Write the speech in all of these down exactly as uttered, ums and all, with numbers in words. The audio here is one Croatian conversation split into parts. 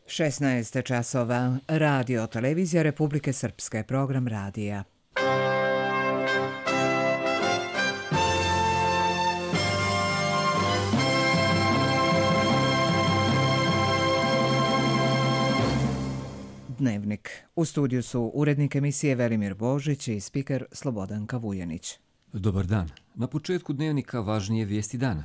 šesnaest časova. Radio Televizija Republike Srpske, program radija. Dnevnik. U studiju su urednik emisije Velimir Božić i spiker Slobodanka Vujanić. Dobar dan. Na početku dnevnika važnije vijesti dana.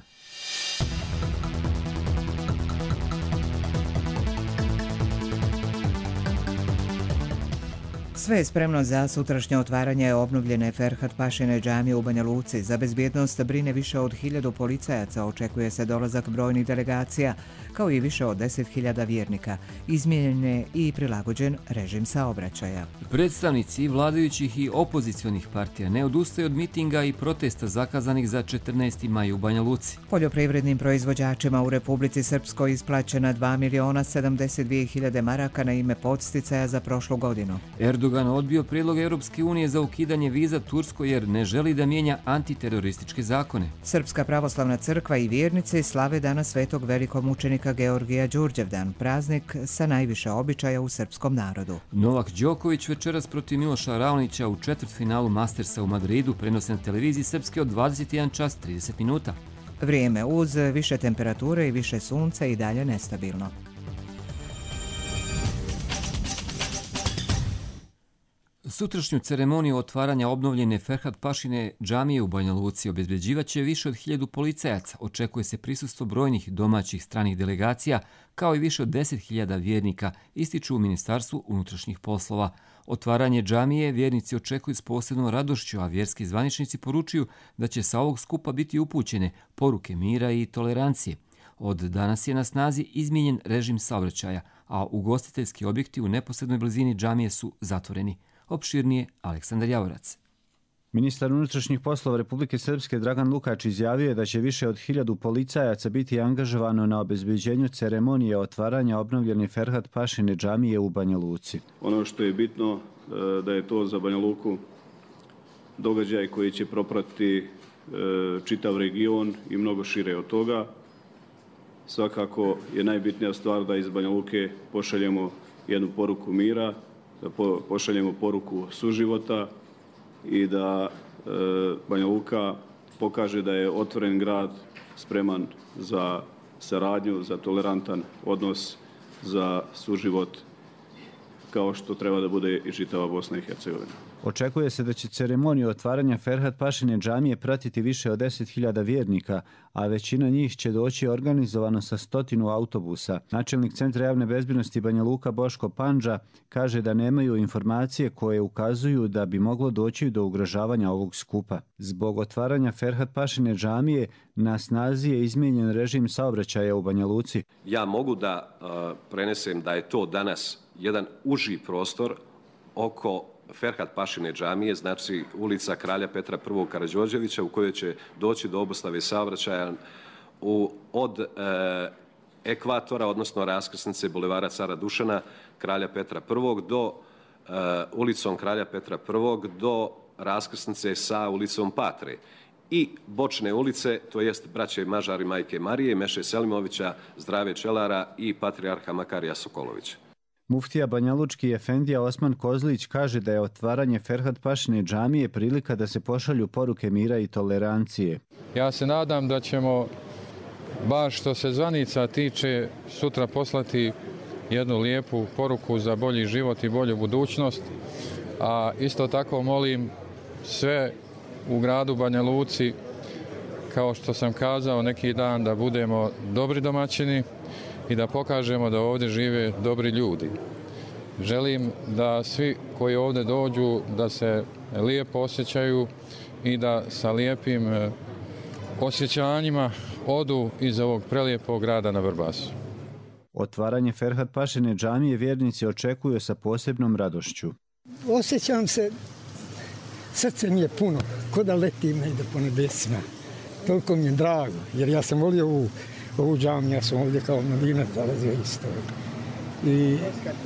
Sve je spremno za sutrašnje otvaranje obnovljene Ferhat Pašine džamije u Banja Luci. Za bezbjednost brine više od hiljadu policajaca, očekuje se dolazak brojnih delegacija, kao i više od deset hiljada vjernika. Izmijenjen je i prilagođen režim saobraćaja. Predstavnici vladajućih i opozicionih partija ne odustaju od mitinga i protesta zakazanih za četrnaesti maj u Banja Luci. Poljoprivrednim proizvođačima u Republici Srpskoj isplaćena dva miliona sedamdeset dvije hiljade maraka na ime podsticaja za prošlu godinu. Erdogan odbio prijedlog Europske unije za ukidanje viza Turskoj jer ne želi da mijenja antiterorističke zakone. Srpska pravoslavna crkva i vjernici slave dana svetog velikomučenika Georgija Đurđevdan, praznik sa najviše običaja u srpskom narodu. Novak Đoković večeras protiv Miloša Raonića u četvrtfinalu Mastersa u Madridu prenosi na televiziji Srpske od dvadeset jedan čas trideset minuta. Vrijeme uz više temperature i više sunca i dalje nestabilno. Sutrašnju ceremoniju otvaranja obnovljene Ferhat Pašine džamije u Banja Luci obezbeđivaće više od hiljadu policajaca. Očekuje se prisustvo brojnih domaćih stranih delegacija, kao i više od deset hiljada vjernika, ističu u Ministarstvu unutrašnjih poslova. Otvaranje džamije vjernici očekuju s posebnom radošću, a vjerski zvaničnici poručuju da će sa ovog skupa biti upućene poruke mira i tolerancije. Od danas je na snazi izmijenjen režim saobraćaja, a ugostiteljski objekti u neposrednoj blizini džamije su zatvoreni. Opširnije Aleksandar Javorac. Ministar unutrašnjih poslova Republike Srpske Dragan Lukač izjavio je da će više od hiljadu policajaca biti angažovano na obezbeđenju ceremonije otvaranja obnovljene Ferhat Pašine džamije u Banja Luci. Ono što je bitno da je to za Banja Luku događaj koji će propratiti čitav region i mnogo šire od toga. Svakako je najbitnija stvar da iz Banja Luke pošaljemo jednu poruku mira, da pošaljemo poruku suživota i da e, Banja Luka pokaže da je otvoren grad, spreman za saradnju, za tolerantan odnos, za suživot, kao što treba da bude i čitava Bosna i Hercegovina. Očekuje se da će ceremoniju otvaranja Ferhat Pašine džamije pratiti više od deset hiljada vjernika, a većina njih će doći organizovano sa stotinu autobusa. Načelnik Centra javne bezbjednosti Banja Luka Boško Pandža kaže da nemaju informacije koje ukazuju da bi moglo doći do ugrožavanja ovog skupa. Zbog otvaranja Ferhat Pašine džamije na snazi je izmijenjen režim saobraćaja u Banja Luci. Ja mogu da uh, prenesem da je to danas jedan uži prostor oko Ferhat Pašine džamije, znači ulica Kralja Petra I. Karađorđevića, u kojoj će doći do obustave saobraćaja u, od e, ekvatora, odnosno raskrsnice bulevara Cara Dušana, Kralja Petra I. do e, ulicom Kralja Petra I. do raskrsnice sa ulicom Patre. I bočne ulice, to jest braće Mažar i majke Marije, Meše Selimovića, Zdrave Čelara i patrijarha Makarija Sokolovića. Muftija banjalučki efendija Osman Kozlić kaže da je otvaranje Ferhat Pašine džamije prilika da se pošalju poruke mira i tolerancije. Ja se nadam da ćemo, baš što se zvanica tiče, sutra poslati jednu lijepu poruku za bolji život i bolju budućnost, a isto tako molim sve u gradu Banja Luci, kao što sam kazao neki dan, da budemo dobri domaćini i da pokažemo da ovdje žive dobri ljudi. Želim da svi koji ovdje dođu da se lijepo osjećaju i da sa lijepim osjećanjima odu iz ovog prelijepog grada na Vrbasu. Otvaranje Ferhat Pašine džamije vjernici očekuju sa posebnom radošću. Osjećam se, srce mi je puno, ko da letim negdje po nebesima. Toliko mi je drago, jer ja sam volio ovu ovu džamiju, ja sam ovdje kao mladinac zalazio isto. I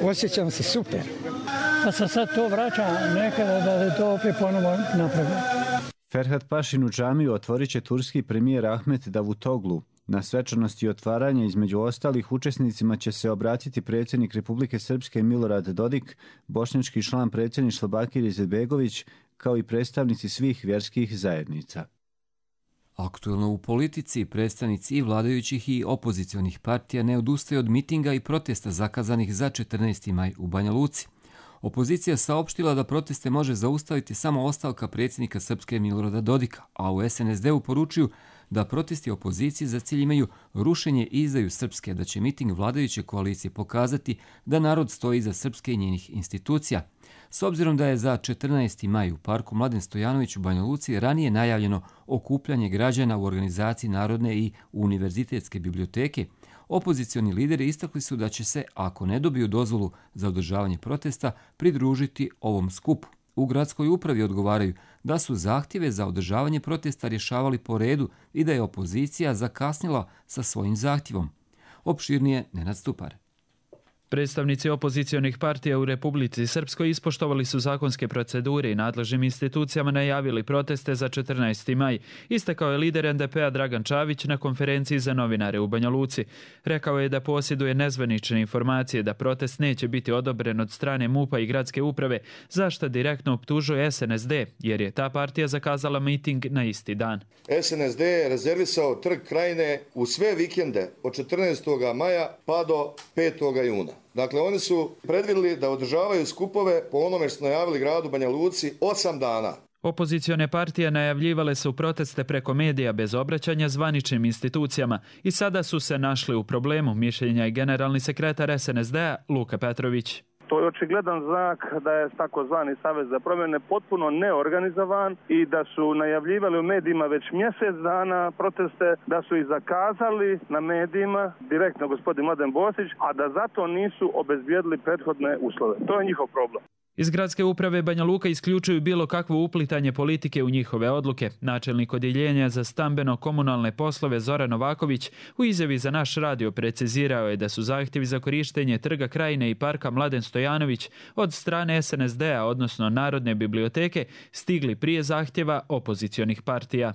osjećam se super. Pa se sad to vraća nekada da to opet ponovo napravi. Ferhat Pašinu džamiju otvorit će turski premijer Ahmet Davutoglu. Na svečanosti otvaranja između ostalih učesnicima će se obratiti predsjednik Republike Srpske Milorad Dodik, bošnjački član predsjedništva Bakir Izetbegović, kao i predstavnici svih vjerskih zajednica. Aktuelno u politici, predstavnici i vladajućih i opozicionih partija ne odustaju od mitinga i protesta zakazanih za četrnaesti maj u Banja Luci. Opozicija saopštila da proteste može zaustaviti samo ostavka predsjednika Srpske Milorada Dodika, a u S N S D-u poručuju da protesti opozicije za cilj imaju rušenje i izdaju Srpske, da će miting vladajuće koalicije pokazati da narod stoji iza Srpske i njenih institucija. S obzirom da je za četrnaesti maj u parku Mladen Stojanović u Banja Luci ranije najavljeno okupljanje građana u organizaciji Narodne i univerzitetske biblioteke, opozicioni lideri istakli su da će se, ako ne dobiju dozvolu za održavanje protesta, pridružiti ovom skupu. U gradskoj upravi odgovaraju da su zahtjeve za održavanje protesta rješavali po redu i da je opozicija zakasnila sa svojim zahtjevom. Opširnije Nenad Stupar. Predstavnici opozicionih partija u Republici Srpskoj ispoštovali su zakonske procedure i nadležnim institucijama najavili proteste za četrnaesti maj. Istakao je lider N D P-a Dragan Čavić na konferenciji za novinare u Banja Luci. Rekao je da posjeduje nezvanične informacije da protest neće biti odobren od strane M U P-a i gradske uprave, za što direktno optužuje S N S D, jer je ta partija zakazala miting na isti dan. S N S D je rezervisao Trg Krajine u sve vikende od četrnaestog maja pa do petog juna. Dakle, oni su predvidjeli da održavaju skupove po onome što najavili gradu Banja Luci osam dana. Opozicione partije najavljivale su proteste preko medija bez obraćanja zvaničnim institucijama i sada su se našli u problemu, mišljenja i generalni sekretar S N S D-a Luka Petrović. To je očigledan znak da je takozvani Savez za promjene potpuno neorganizovan i da su najavljivali u medijima već mjesec dana proteste, da su ih zakazali na medijima, direktno gospodin Mladen Bosić, a da zato nisu obezbijedili prethodne uslove. To je njihov problem. Iz gradske uprave Banja Luka isključuju bilo kakvo uplitanje politike u njihove odluke. Načelnik odjeljenja za stambeno-komunalne poslove Zoran Novaković u izjavi za naš radio precizirao je da su zahtjevi za korištenje Trga Krajine i parka Mladen Stojanović od strane S N S D-a, odnosno Narodne biblioteke, stigli prije zahtjeva opozicionih partija.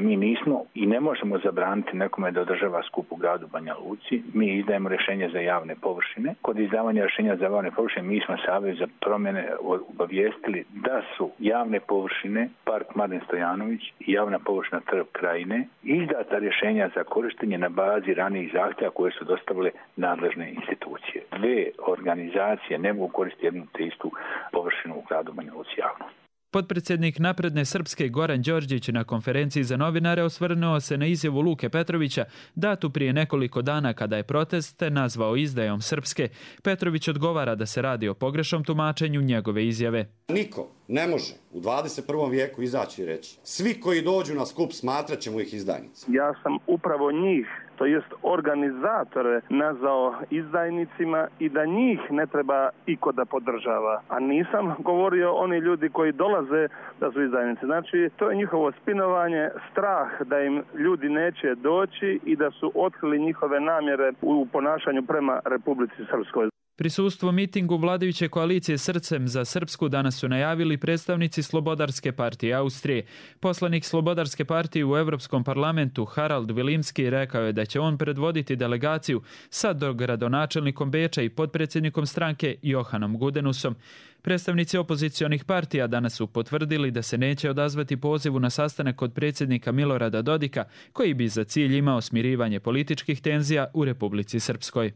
Mi nismo i ne možemo zabraniti nekome da održava skup u gradu Banja Luci. Mi izdajemo rješenje za javne površine. Kod izdavanja rješenja za javne površine mi smo Savez za promjene obavijestili da su javne površine park Mladen Stojanović i javna površina Trg Krajine izdata rješenja za korištenje na bazi ranijih zahtjeva koje su dostavile nadležne institucije. Dve organizacije ne mogu koristiti jednu te istu površinu u gradu Banja Luci javno. Potpredsjednik Napredne Srpske Goran Đorđić na konferenciji za novinare osvrnuo se na izjavu Luke Petrovića datu prije nekoliko dana kada je proteste nazvao izdajom Srpske. Petrović odgovara da se radi o pogrešnom tumačenju njegove izjave. Niko ne može u dvadeset prvom vijeku izaći i reći svi koji dođu na skup smatrat ćemo ih izdajnicima. Ja sam upravo njih, to jest organizatore, nazvao izdajnicima i da njih ne treba iko da podržava. A nisam govorio oni ljudi koji dolaze da su izdajnici. Znači, to je njihovo spinovanje, strah da im ljudi neće doći i da su otkrili njihove namjere u ponašanju prema Republici Srpskoj. Prisustvo mitingu vladajuće koalicije Srcem za Srpsku danas su najavili predstavnici Slobodarske partije Austrije. Poslanik Slobodarske partije u Europskom parlamentu Harald Vilimski rekao je da će on predvoditi delegaciju sa dogradonačelnikom Beča i potpredsjednikom stranke Johanom Gudenusom. Predstavnici opozicionih partija danas su potvrdili da se neće odazvati pozivu na sastanak kod predsjednika Milorada Dodika, koji bi za cilj imao smirivanje političkih tenzija u Republici Srpskoj.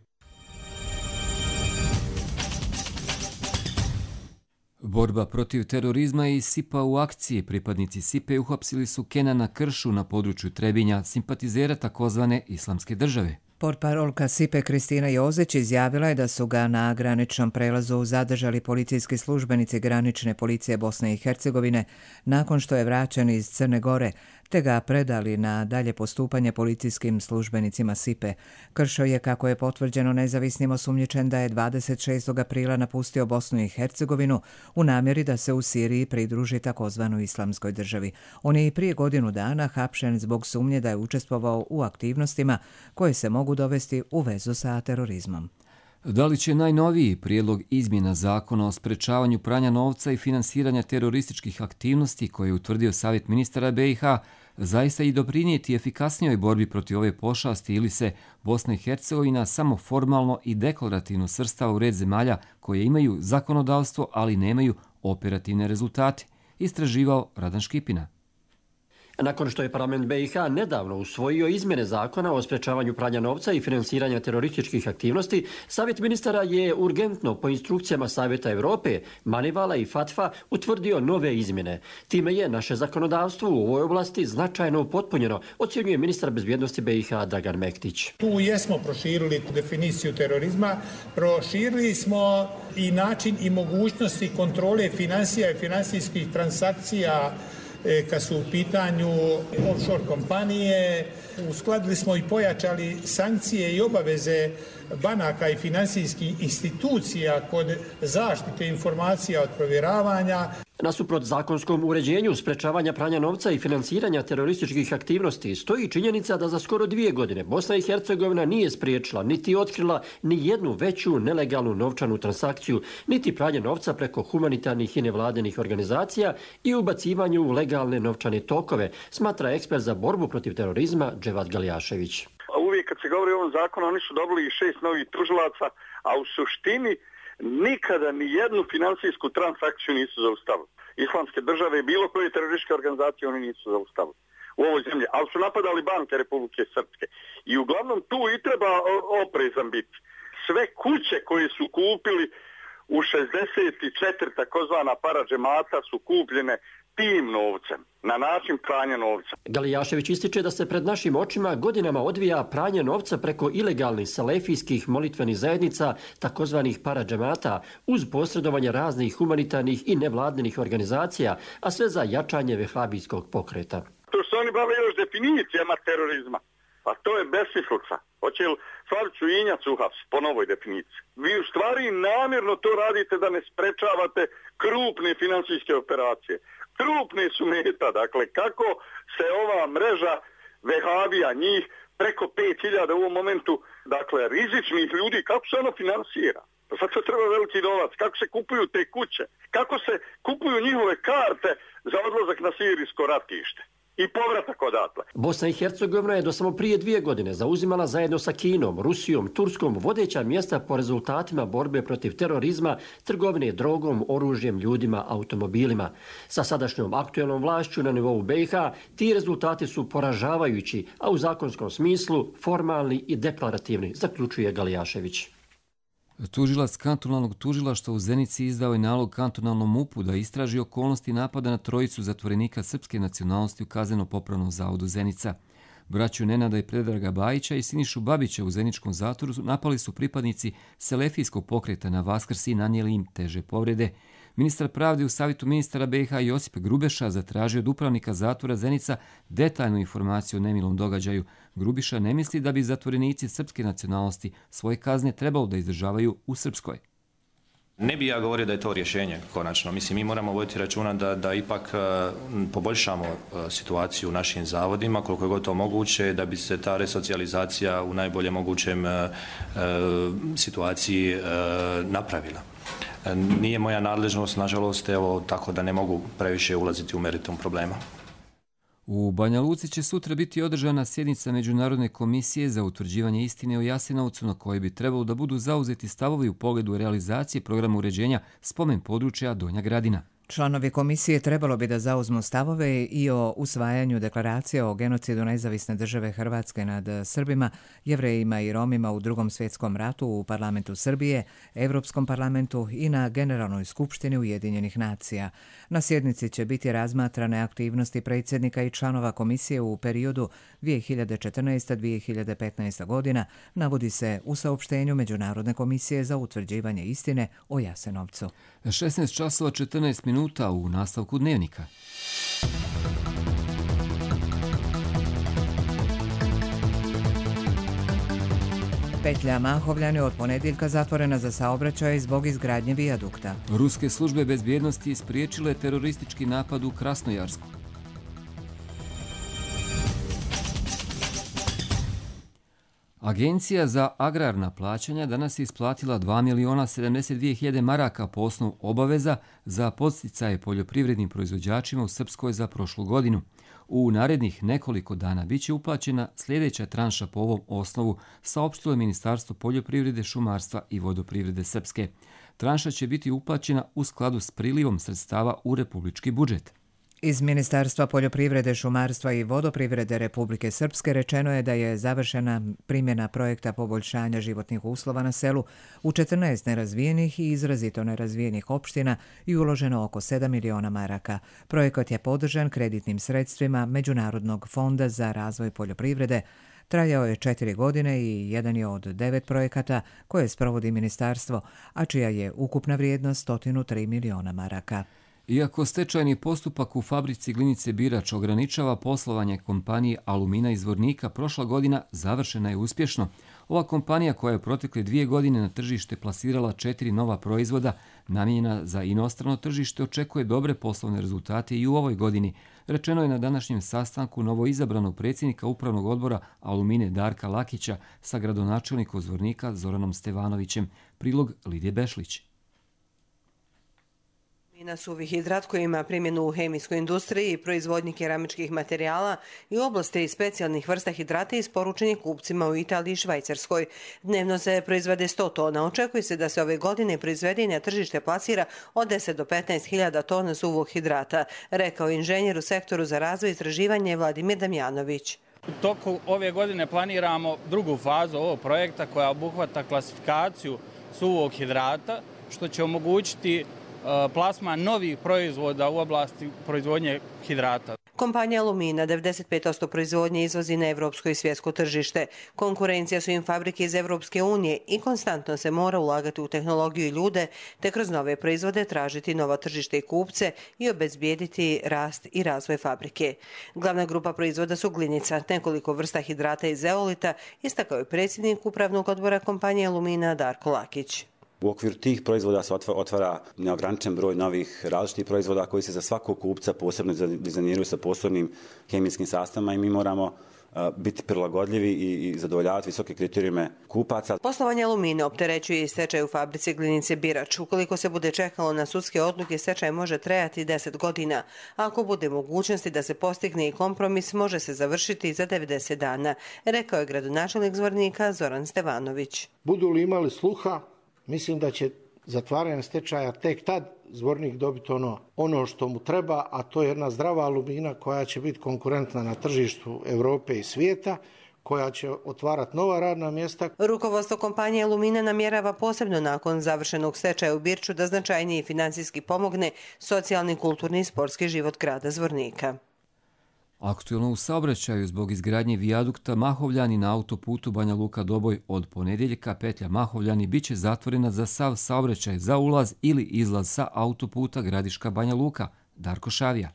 Borba protiv terorizma i S I P-a u akciji. Pripadnici S I P-a uhapsili su Kenana Kršu na području Trebinja, simpatizera takozvane Islamske države. Portparolka S I P-a Kristina Jozić izjavila je da su ga na graničnom prelazu zadržali policijski službenici granične policije Bosne i Hercegovine nakon što je vraćen iz Crne Gore, te ga predali na dalje postupanje policijskim službenicima S I P-a. Kršo je, kako je potvrđeno nezavisnim, osumnjičen da je dvadeset šestog aprila napustio Bosnu i Hercegovinu u namjeri da se u Siriji pridruži takozvanoj Islamskoj državi. On je i prije godinu dana hapšen zbog sumnje da je učestvovao u aktivnostima koje se mogu dovesti u vezu sa terorizmom. Da li će najnoviji prijedlog izmjena zakona o sprečavanju pranja novca i finansiranja terorističkih aktivnosti koje je utvrdio Savjet ministara B i H zaista i doprinijeti efikasnijoj borbi protiv ove pošasti ili se Bosna i Hercegovina samo formalno i deklarativno svrstava u red zemalja koje imaju zakonodavstvo, ali nemaju operativne rezultate, istraživao Radan Škipina. Nakon što je parlament B i H nedavno usvojio izmjene zakona o sprečavanju pranja novca i finansiranja terorističkih aktivnosti, Savjet ministara je urgentno po instrukcijama Savjeta Europe, Manivala i Fatfa utvrdio nove izmjene. Time je naše zakonodavstvo u ovoj oblasti značajno upotpunjeno, ocjenjuje ministar bezbjednosti B i H Dragan Mektić. Tu jesmo proširili definiciju terorizma, proširili smo i način i mogućnosti kontrole financija i finansijskih transakcija kad su u pitanju offshore kompanije. Uskladili smo i pojačali sankcije i obaveze banaka i finansijskih institucija kod zaštite informacija od provjeravanja. Nasuprot zakonskom uređenju sprečavanja pranja novca i finansiranja terorističkih aktivnosti stoji činjenica da za skoro dvije godine Bosna i Hercegovina nije spriječila niti otkrila ni jednu veću nelegalnu novčanu transakciju, niti pranje novca preko humanitarnih i nevladinih organizacija i ubacivanju u legalne novčane tokove, smatra ekspert za borbu protiv terorizma Dževad Galjašević. Uvijek kad se govori o ovom zakonu, oni su dobili šest novih tužilaca, a u suštini nikada ni jednu finansijsku transakciju nisu zaustavili. Islamske države i bilo koje terorističke organizacije oni nisu zaustavili u ovoj zemlji, ali su napadali banke Republike Srpske. I uglavnom tu i treba oprezan biti. Sve kuće koje su kupili u šezdeset četiri takozvana paradžemata su kupljene tim novcem, na način pranja novca. Galijašević ističe da se pred našim očima godinama odvija pranje novca preko ilegalnih salefijskih molitvenih zajednica, takozvanih paradžemata, uz posredovanje raznih humanitarnih i nevladinih organizacija, a sve za jačanje vehabijskog pokreta. To što oni bave još definicijama terorizma, pa to je besmislica. Hoće li Slavicu Injac uhapsiti po novoj definiciji? Vi u stvari namjerno to radite da ne sprečavate krupne finansijske operacije. Krupne su meta, dakle kako se ova mreža vehabija, njih preko pet hiljada u ovom momentu, dakle rizičnih ljudi, kako se ono finansira? Sad se treba veliki novac, kako se kupuju te kuće, kako se kupuju njihove karte za odlazak na sirijsko ratište i povratak odatle. Bosna i Hercegovina je do samo prije dvije godine zauzimala zajedno sa Kinom, Rusijom, Turskom vodeća mjesta po rezultatima borbe protiv terorizma, trgovine drogom, oružjem, ljudima, automobilima. Sa sadašnjom aktuelnom vlašću na nivou B i H ti rezultati su poražavajući, a u zakonskom smislu formalni i deklarativni, zaključuje Galijašević. Tužilac kantonalnog tužilaštva u Zenici izdao je nalog kantonalnom MUP-u da istraži okolnosti napada na trojicu zatvorenika srpske nacionalnosti u Kazneno-popravnom zavodu Zenica. Braću Nenada i Predraga Bajića i Sinišu Babića u zeničkom zatvoru napali su pripadnici selefijskog pokreta na Vaskrs i nanijeli im teže povrede. Ministar pravde u Savjetu ministara B i H Josip Grubeša zatražio od upravnika zatvora Zenica detaljnu informaciju o nemilom događaju. Grubiša ne misli da bi zatvorenici srpske nacionalnosti svoje kazne trebalo da izdržavaju u Srpskoj. Ne bi ja govorio da je to rješenje konačno. Mislim, mi moramo voditi računa da, da ipak uh, poboljšamo uh, situaciju u našim zavodima, koliko je god to moguće, da bi se ta resocijalizacija u najboljem mogućem uh, uh, situaciji uh, napravila. Uh, nije moja nadležnost, nažalost, evo, tako da ne mogu previše ulaziti u meritum problema. U Banja Luci će sutra biti održana sjednica Međunarodne komisije za utvrđivanje istine o Jasenovcu, na kojoj bi trebalo da budu zauzeti stavovi u pogledu realizacije programa uređenja spomen područja Donja Gradina. Članovi komisije trebalo bi da zauzmu stavove i o usvajanju deklaracije o genocidu nezavisne države Hrvatske nad Srbima, Jevrejima i Romima u Drugom svjetskom ratu u parlamentu Srbije, Evropskom parlamentu i na Generalnoj skupštini Ujedinjenih nacija. Na sjednici će biti razmatrane aktivnosti predsjednika i članova komisije u periodu dvije hiljade četrnaeste do dvije hiljade petnaeste. godina, navodi se u saopštenju Međunarodne komisije za utvrđivanje istine o Jasenovcu. šesnaest časova četrnaest minuta u nastavku dnevnika. Petlja Mahovljani od ponedjeljka zatvorena za saobraćaj zbog izgradnje vijadukta. Ruske službe bezbjednosti spriječile teroristički napad u Krasnojarsku. Agencija za agrarna plaćanja danas je isplatila dva miliona sedamdeset dvije hiljade maraka po osnovu obaveza za podsticaje poljoprivrednim proizvođačima u Srpskoj za prošlu godinu. U narednih nekoliko dana bit će uplaćena sljedeća tranša po ovom osnovu, saopštilo je Ministarstvo poljoprivrede, šumarstva i vodoprivrede Srpske. Tranša će biti uplaćena u skladu s prilivom sredstava u republički budžet. Iz Ministarstva poljoprivrede, šumarstva i vodoprivrede Republike Srpske rečeno je da je završena primjena projekta poboljšanja životnih uslova na selu u četrnaest nerazvijenih i izrazito nerazvijenih opština i uloženo oko sedam miliona maraka. Projekat je podržan kreditnim sredstvima Međunarodnog fonda za razvoj poljoprivrede. Trajao je četiri godine i jedan je od devet projekata koje sprovodi ministarstvo, a čija je ukupna vrijednost sto tri miliona maraka. Iako stečajni postupak u fabrici glinice Birač ograničava poslovanje kompanije Alumina iz Zvornika, prošla godina završena je uspješno. Ova kompanija koja je protekle dvije godine na tržište plasirala četiri nova proizvoda namijenjena za inostrano tržište očekuje dobre poslovne rezultate i u ovoj godini. Rečeno je na današnjem sastanku novoizabranog predsjednika upravnog odbora Alumine Darka Lakića sa gradonačelnikom Zvornika Zoranom Stevanovićem. Prilog Lidije Bešlić. Na suvi hidrat koji ima primjenu u hemijskoj industriji i proizvodnji keramičkih materijala i oblasti specijalnih vrsta hidrata isporučen je kupcima u Italiji i Švajcarskoj. Dnevno se proizvede sto tona. Očekuje se da se ove godine proizvede i na tržište plasira od deset do petnaest hiljada tona suvog hidrata, rekao inženjer u sektoru za razvoj i istraživanje Vladimir Damjanović. U toku ove godine planiramo drugu fazu ovog projekta koja obuhvata klasifikaciju suvog hidrata, što će omogućiti plasman novih proizvoda u oblasti proizvodnje hidrata. Kompanija Alumina devedeset pet posto proizvodnje izvozi na evropsko i svjetsko tržište. Konkurencija su im fabrike iz Evropske unije i konstantno se mora ulagati u tehnologiju i ljude, te kroz nove proizvode tražiti nova tržište i kupce i obezbijediti rast i razvoj fabrike. Glavna grupa proizvoda su glinica, nekoliko vrsta hidrata i zeolita, istakao je predsjednik upravnog odbora kompanije Alumina Darko Lakić. U okviru tih proizvoda se otvara neograničen broj novih različitih proizvoda koji se za svakog kupca posebno dizajniraju sa posebnim hemijskim sastavima i mi moramo biti prilagodljivi i zadovoljavati visoke kriterijume kupaca. Poslovanje Alumine opterećuje i stečaj u fabrici glinice Birač. Ukoliko se bude čekalo na sudske odluke, stečaj može trajati deset godina. Ako bude mogućnosti da se postigne i kompromis, može se završiti za devedeset dana, rekao je gradonačelnik Zvornika Zoran Stevanović. Budu li imali sluha, mislim da će zatvaranje stečaja tek tad Zvornik dobiti ono, ono što mu treba, a to je jedna zdrava Alumina koja će biti konkurentna na tržištu Europe i svijeta, koja će otvarati nova radna mjesta. Rukovodstvo kompanije Alumina namjerava posebno nakon završenog stečaja u Birču da značajnije financijski pomogne socijalni, kulturni i sportski život grada Zvornika. Aktuelno u saobraćaju zbog izgradnje vijadukta Mahovljani na autoputu Banja Luka-Doboj od ponedjeljka petlja Mahovljani bit će zatvorena za sav saobraćaj za ulaz ili izlaz sa autoputa Gradiška Banja Luka. Darko Šavija.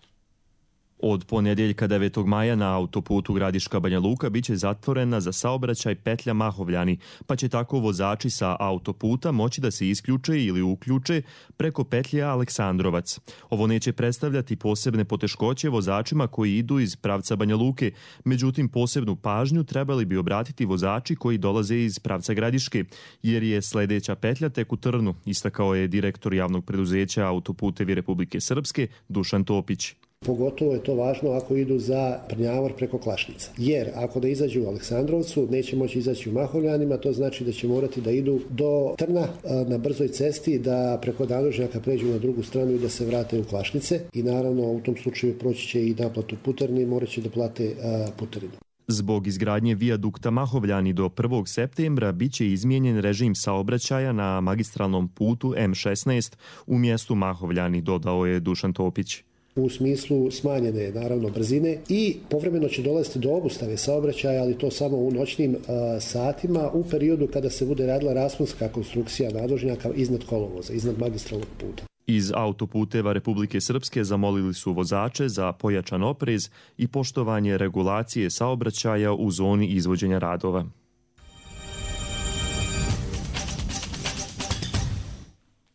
Od ponedjeljka devetog maja na autoputu Gradiška Banja Luka biće zatvorena za saobraćaj petlja Mahovljani, pa će tako vozači sa autoputa moći da se isključe ili uključe preko petlje Aleksandrovac. Ovo neće predstavljati posebne poteškoće vozačima koji idu iz pravca Banja Luke, međutim posebnu pažnju trebali bi obratiti vozači koji dolaze iz pravca Gradiške, jer je sljedeća petlja tek u Trnu, istakao je direktor javnog preduzeća Autoputevi Republike Srpske Dušan Topić. Pogotovo je to važno ako idu za Prnjavor preko Klašnica. Jer ako da izađu u Aleksandrovcu, neće moći izaći u Mahovljanima, to znači da će morati da idu do Trna na brzoj cesti, da preko Danožnjaka pređu na drugu stranu i da se vrate u Klašnice. I naravno u tom slučaju proći će i naplatu putarine i morat će da plate putarinu. Zbog izgradnje vijadukta Mahovljani do prvog septembra biće izmijenjen režim saobraćaja na magistralnom putu M šesnaest u mjestu Mahovljani, dodao je Dušan Topić. U smislu smanjene, naravno, brzine i povremeno će dolaziti do obustave saobraćaja, ali to samo u noćnim a, satima u periodu kada se bude radila rasponska konstrukcija nadvožnjaka iznad kolovoza, iznad magistralnog puta. Iz Autoputeva Republike Srpske zamolili su vozače za pojačan oprez i poštovanje regulacije saobraćaja u zoni izvođenja radova.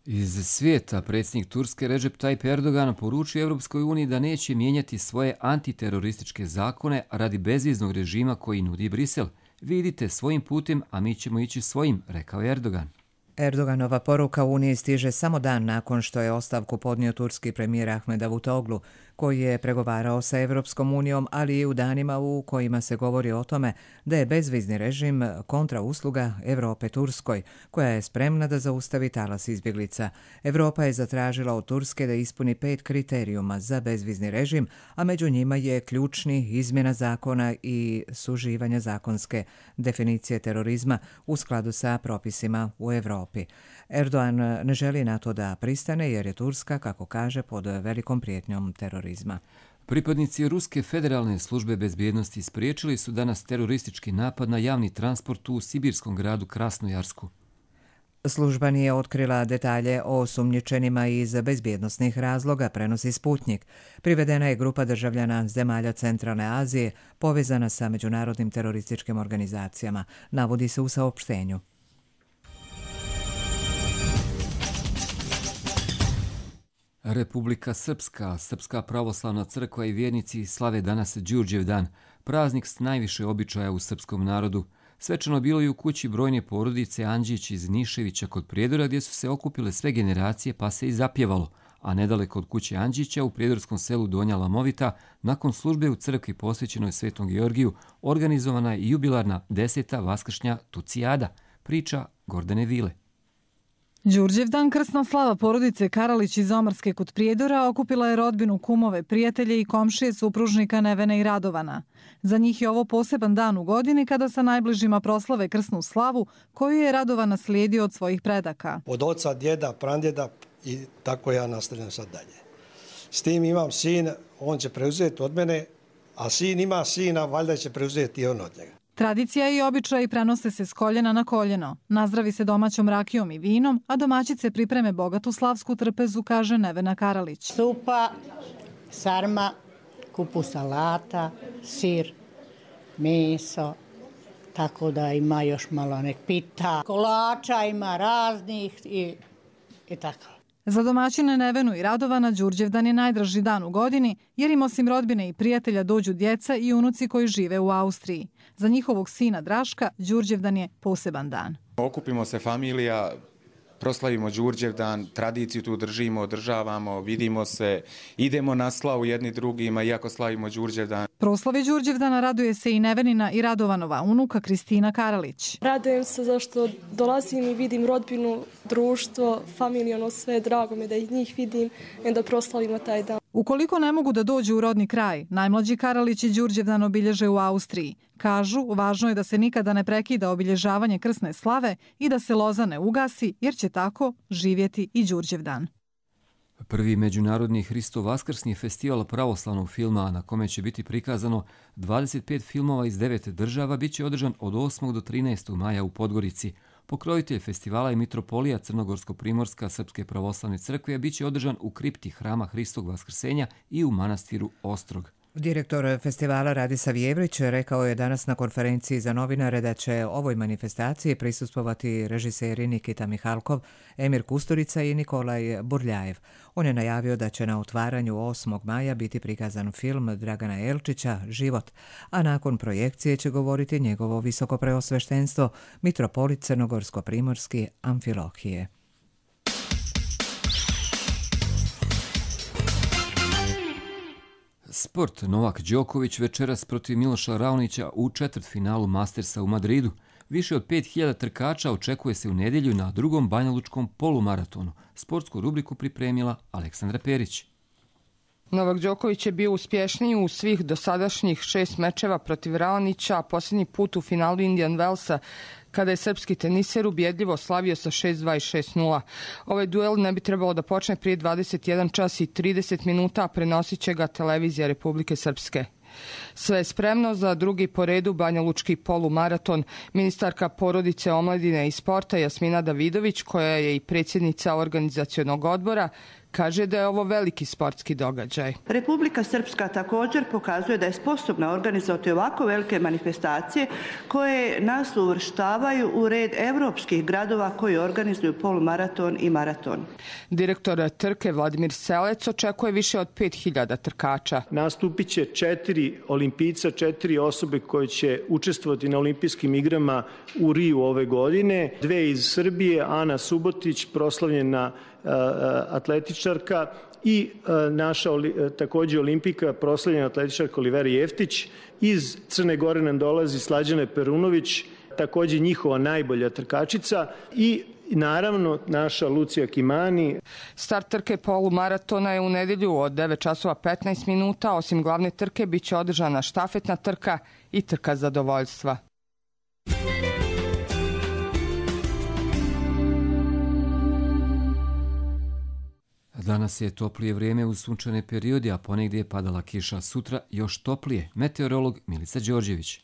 Iz svijeta predsjednik Turske Recep Tayyip Erdogan poručio Evropskoj uniji da neće mijenjati svoje antiterorističke zakone radi bezviznog režima koji nudi Brisel. Vidite svojim putem, a mi ćemo ići svojim, rekao je Erdogan. Erdoganova poruka Uniji stiže samo dan nakon što je ostavku podnio turski premijer Ahmed Davutoglu, koji je pregovarao sa Evropskom unijom, ali i u danima u kojima se govori o tome da je bezvizni režim kontrausluga Evrope Turskoj, koja je spremna da zaustavi talas izbjeglica. Evropa je zatražila od Turske da ispuni pet kriterijuma za bezvizni režim, a među njima je ključni izmjena zakona i suživanja zakonske definicije terorizma u skladu sa propisima u Evropi. Erdogan ne želi na to da pristane jer je Turska, kako kaže, pod velikom prijetnjom terorizma. Pripadnici Ruske federalne službe bezbjednosti spriječili su danas teroristički napad na javni transport u sibirskom gradu Krasnojarsku. Služba nije otkrila detalje o osumnjičenima iz bezbjednosnih razloga, prenosi Sputnik. Privedena je grupa državljana zemalja Centralne Azije povezana sa međunarodnim terorističkim organizacijama, navodi se u saopštenju. Republika Srpska, Srpska pravoslavna crkva i vjernici slave danas Đurđev dan, praznik s najviše običaja u srpskom narodu. Svečano bilo i u kući brojne porodice Andžić iz Niševića kod Prijedora, gdje su se okupile sve generacije pa se i zapjevalo, a nedaleko od kuće Andžića u prijedorskom selu Donja Lamovita, nakon službe u crkvi posvećenoj Svetom Georgiju, organizovana je jubilarna deseta vaskršnja Tucijada, priča Gordane Vile. Đurđevdan, krsna slava porodice Karalić iz Omarske kod Prijedora, okupila je rodbinu, kumove, prijatelje i komšije supružnika Nevene i Radovana. Za njih je ovo poseban dan u godini kada sa najbližima proslave krsnu slavu koju je Radovan naslijedio od svojih predaka. Od oca, djeda, prandjeda i tako ja nastavljam sad dalje. S tim imam sin, on će preuzeti od mene, a sin ima sina, valjda će preuzeti i on od njega. Tradicija i običaji prenose se s koljena na koljeno. Nazdravi se domaćom rakijom i vinom, a domaćice pripreme bogatu slavsku trpezu, kaže Nevena Karalić. Supa, sarma, kupu salata, sir, meso, tako da ima još malo nek pita. Kolača ima raznih i, i tako. Za domaćine Nevenu i Radovana Đurđevdan je najdraži dan u godini, jer im osim rodbine i prijatelja dođu djeca i unuci koji žive u Austriji. Za njihovog sina Draška Đurđevdan je poseban dan. Okupimo se familija, proslavimo Đurđevdan, tradiciju tu držimo, održavamo, vidimo se, idemo na slavu jedni drugima, iako slavimo Đurđevdan. Proslavi Đurđevdana raduje se i Nevenina i Radovanova unuka Kristina Karalić. Radujem se zašto dolazim i vidim rodbinu, društvo, familiju, ono sve, drago mi da ih njih vidim i da proslavimo taj dan. Ukoliko ne mogu da dođu u rodni kraj, najmlađi Karalić i Đurđevdan obilježe u Austriji. Kažu, važno je da se nikada ne prekida obilježavanje krsne slave i da se loza ne ugasi, jer će tako živjeti i Đurđevdan. Prvi međunarodni Hristo Vaskrsni festival pravoslavnog filma, na kome će biti prikazano dvadeset pet filmova iz devet država, bit će održan od osmog do trinaestog maja u Podgorici. Pokrovitelj festivala je mitropolija Crnogorsko-Primorska Srpske pravoslavne crkve, a bit će održan u kripti Hrama Hristog Vaskrsenja i u manastiru Ostrog. Direktor festivala Radislav Jevrić rekao je danas na konferenciji za novinare da će ovoj manifestaciji prisustvovati režiseri Nikita Mihalkov, Emir Kusturica i Nikolaj Burljajev. On je najavio da će na otvaranju osmog maja biti prikazan film Dragana Elčića Život, a nakon projekcije će govoriti njegovo visokopreosveštenstvo mitropolit Crnogorsko-Primorski Amfilohije. Sport. Novak Đoković večeras protiv Miloša Raonića u četvrtfinalu Mastersa u Madridu. Više od pet hiljada trkača očekuje se u nedjelju na drugom banjalučkom polumaratonu. Sportsku rubriku pripremila Aleksandra Perić. Novak Đoković je bio uspješniji u svih dosadašnjih šest mečeva protiv Raonića, a posljednji put u finalu Indian Wellsa, kada je srpski teniser ubjedljivo slavio sa šest dva i šest nula. Ovaj duel ne bi trebalo da počne prije dvadeset jedan čas i trideset minuta, a prenosit će ga televizija Republike Srpske. Sve je spremno za drugi po redu banjalučki polumaraton. Ministarka porodice, omladine i sporta Jasmina Davidović, koja je i predsjednica organizacionog odbora, Kaže da je ovo veliki sportski događaj. Republika Srpska također pokazuje da je sposobna organizovati ovako velike manifestacije koje nas uvrštavaju u red evropskih gradova koji organizuju polumaraton i maraton. Direktor trke Vladimir Selec očekuje više od pet hiljada trkača. Nastupit će četiri olimpijca, četiri osobe koje će učestvovati na olimpijskim igrama u Riju ove godine. Dve iz Srbije, Ana Subotić, proslavljena atletičarka, i naša također olimpijka, proslavljena atletičarka Olivera Jeftić. Iz Crne Gore nam dolazi Slađana Perunović, također njihova najbolja trkačica, i naravno naša Lucija Kimani. Start trke polumaratona je u nedjelju od devet časova petnaest minuta. Osim glavne trke bit će održana štafetna trka i trka zadovoljstva. Danas je toplije vrijeme uz sunčane periodi, a ponegdje je padala kiša. Sutra još toplije. Meteorolog Milica Đorđević.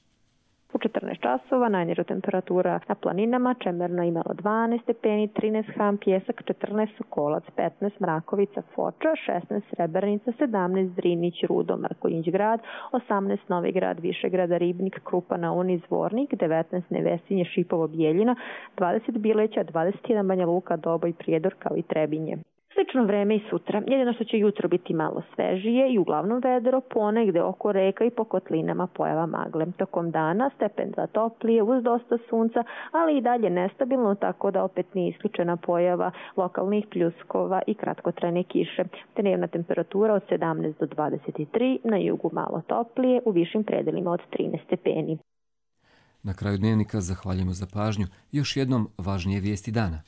U četrnaest časova najniža temperatura na planinama, Čemerno imalo dvanaest stepeni, trinaest Ham, Pjesak, četrnaest Sokolac, petnaest Mrakovica, Foča, šesnaest Srebrenica, sedamnaest Drinić, Rudo, Mrkonjić grad, osamnaest Novi grad, Višegrada, Ribnik, Krupa na Uni, Zvornik, devetnaest Nevesinje, Šipovo, Bijeljina, dvadeset Bileća, dvadeset jedan Banja Luka, Doboj, Prijedor kao i Trebinje. Slično vreme i sutra, jedino što će jutro biti malo svežije i uglavnom vedro, ponegde oko reka i po kotlinama pojava magle. Tokom dana stepen zatoplije uz dosta sunca, ali i dalje nestabilno, tako da opet nije isključena pojava lokalnih pljuskova i kratkotrajne kiše. Dnevna temperatura od sedamnaest do dvadeset tri, na jugu malo toplije, u višim predelima od trinaest stepeni. Na kraju dnevnika zahvaljujemo za pažnju. Još jednom važnije vijesti dana.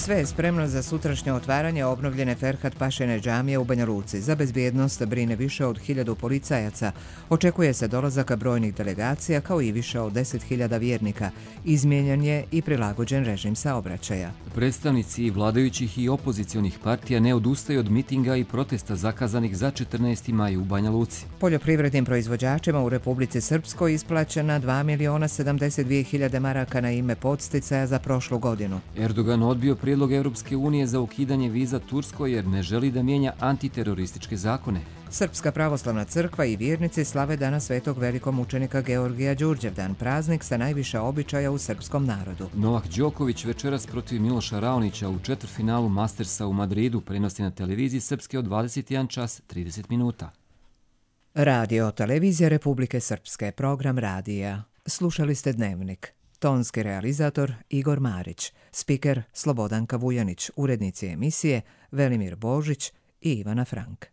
Sve je spremno za sutrašnje otvaranje obnovljene Ferhat Pašine džamije u Banja Luci. Za bezbjednost brine više od hiljadu policajaca. Očekuje se dolazak brojnih delegacija kao i više od deset hiljada vjernika. Izmijenjen je i prilagođen režim saobraćaja. Predstavnici vladajućih i opozicionih partija ne odustaju od mitinga i protesta zakazanih za četrnaesti maj u Banja Luci. Poljoprivrednim proizvođačima u Republici Srpskoj isplaćena dva miliona sedamdeset dvije hiljade maraka na ime podsticaja za prošlu godinu. Erdogan odbio prijedlog Europske unije za ukidanje viza Turskoj jer ne želi da mijenja antiterorističke zakone. Srpska pravoslavna crkva i vjernici slave Dana svetog velikomučenika Georgija Đurđevdan, praznik sa najviše običaja u srpskom narodu. Novak Đoković večeras protiv Miloša Raonića u četvrtfinalu Mastersa u Madridu prenosi na televiziji Srpske od dvadeset jedan čas trideset minuta. Radio Televizija Republike Srpske, program radija. Slušali ste Dnevnik. Tonski realizator Igor Marić, spiker Slobodanka Vujanić, urednici emisije Velimir Božić i Ivana Frank.